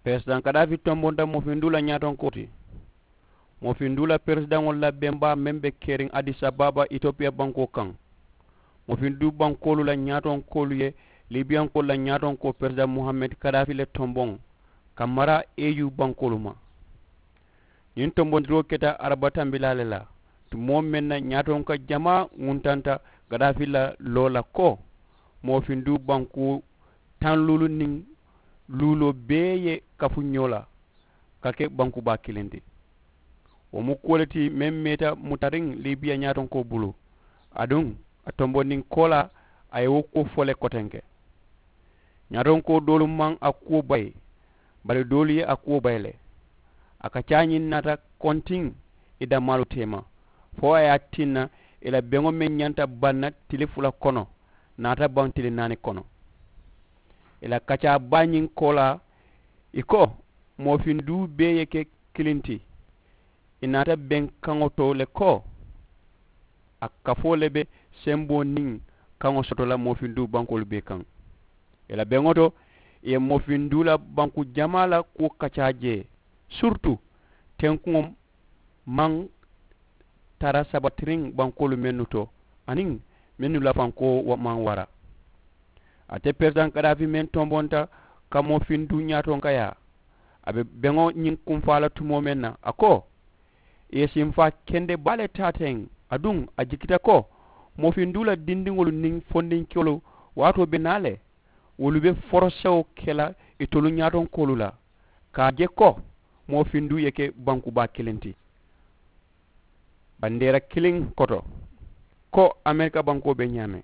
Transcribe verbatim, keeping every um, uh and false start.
Peresidaŋ kadaafi tombonta moofinduu la ñaatonkoo ti. Moofinduu la peresidaŋolu la bembaa meŋ be keriŋ adisa baaba itopiya bankoo kaŋ. Moofinduu bankoolu la ñaatonkoolu ye libiyankoolu la ñaatonkoo peresidaŋ muhammed kadaafi le tomboŋ ka mara eyu bankoolu ma. Ñiŋ tombondiroo keta araba tambilaa le la tumoo meŋ na ñaatonka jamaa ŋuntanta kadaafi la loo la ko moofinduu bankoo taŋ luulu niŋ luuloo bee ye kafu ñoo la ka ke bankubaa kiliŋ ti. Wo mu kuwo le ti meŋ meeta mutariŋ libiya ñaatonkoo bulu aduŋ a tombondiŋ koolaa a ye wo kuwo fo le kotenke. Ñaatonkoo doolu maŋ a kuwo bayi bari doolu ye a kuwo bayi le. A ka caa ñiŋ naata kontiŋ i damaalu teema fo a ye a tinna i la beŋo meŋ ñanta baŋ na tili fula kono naata baŋ tili naani kono. I la kacaa baa ñiŋ koolaa i ko moofinduu bee ye ke kiliŋ ti. I naata beŋ kaŋo to le ko a kafoo le be semboo niŋ kaŋo soto la moofinduu bankoolu bee kaŋ. I la beŋo to i ye moofinduu la banku jamaa la kuwo kacaa jee surutu tenkuŋo maŋ tara sabatiriŋ bankoolu mennu to aniŋ mennu la fankoo maŋ wara. Ate peresidaŋ kadaafi meŋ tombonta ka moofinduu ñaatonkayaa a be beŋo ñiŋ kunfaa la tumoo meŋ na a ko i ye sinfaa kende baa le taa teŋ aduŋ a jikita ko moofinduu la dindiŋolu niŋ fondinkewolu waatoo be naa le wolu be forosewo ke la itolu ñaatonkoolu la ka a je ko moofinduu ye ke bankubaa kiliŋ ti bandeera kiliŋ koto ko amerika bankoo be ñaameŋ.